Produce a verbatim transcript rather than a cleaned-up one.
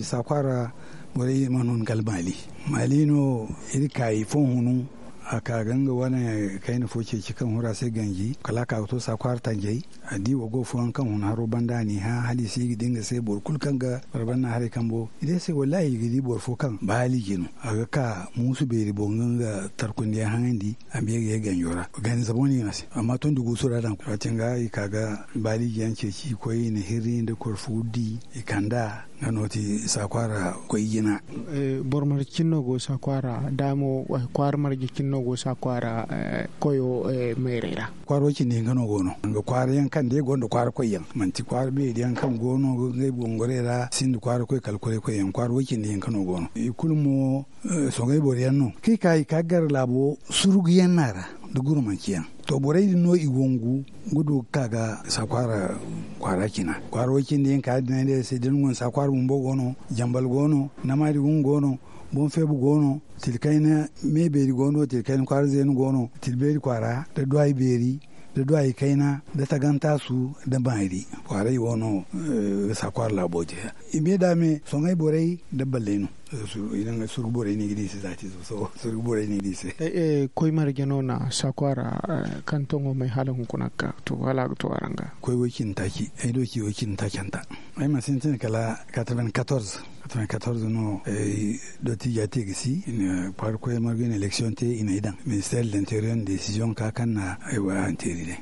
Saakwaara borey mana hun kala maali. Maali no iri ka i fo hunu. A ka ga nga wane kayna fo ceeci kaŋ hura se ganji kala a ka ga to saakwaara tanjay. A di wago fooyaŋ kaŋ hun haro banda a n'i hã hala i si ga di nga se boro kulu kaŋ ga barbana haray kambo i di se wallahi i ga di boro fo kaŋ baali jino a ga ka muusu beeri boŋ ga nga tarkundiyaŋ haŋandi. A ma ye ga ye ganjo ra ganizamo no i no a se amma tondi guusu ra daŋ waati nga i ka ga baali jiyaŋ ceeci i koy i na hirri nda korfu di i kand'a. Nga no ti saakwaara koy jina. Boro marje cine no go saakwaara daamo kwaara marje cine no go saakwaara koyo mayray ra. Kwaara way cindi hinka no go no nga kwaara yaŋ kaŋ day gonda kwaara koy yaŋ manti kwaara beeri yaŋ kaŋ go no ga ngey bongoray ra sinda kwaara koy kala kwaara koy yaŋ kwaara way cindi hinka no go no i kulu mo. Soŋay boro yaŋ no kaŋ i ka i ka gar laabo surgu yaŋ no a ra nda gurmanci yaŋ. To borey din no i wangu ga du ga ka ga saakwaara kwaara cina kwaara way cindi yaŋ ka din ay ne se da ni wane saakwaara bumbo go no, jambal go no, namaadi gungu go no, boŋ feebu go no, tilkayna me beeri go no tilkayna kwaara zeenu go no tilbeeri kwaara nda duwaayi beeri nda duwaayi kayna nda tagantaasu nda maari. Kwaaray wo no ga saakwaara laabo te. I me da me soŋay borey nda balley no. Surgu borey no i ga di se zaati zo sohõ surgu borey no i ga di se. Koy marje no na saakwaara kaŋ toŋo may hala hunkuna ga ka to hala a ga to araŋ ga. Koy way cindi taaci ay do ci way cindi taacanta. Ay mana sintin kala quatre-vingt-quatorze. Quatre-vingt-quatorze no. Dottija te ga si i na kwaara koy marga i na election te i na ay daŋ ministère de l'interieur na décision ka kaŋ na ay waya hanteeri day.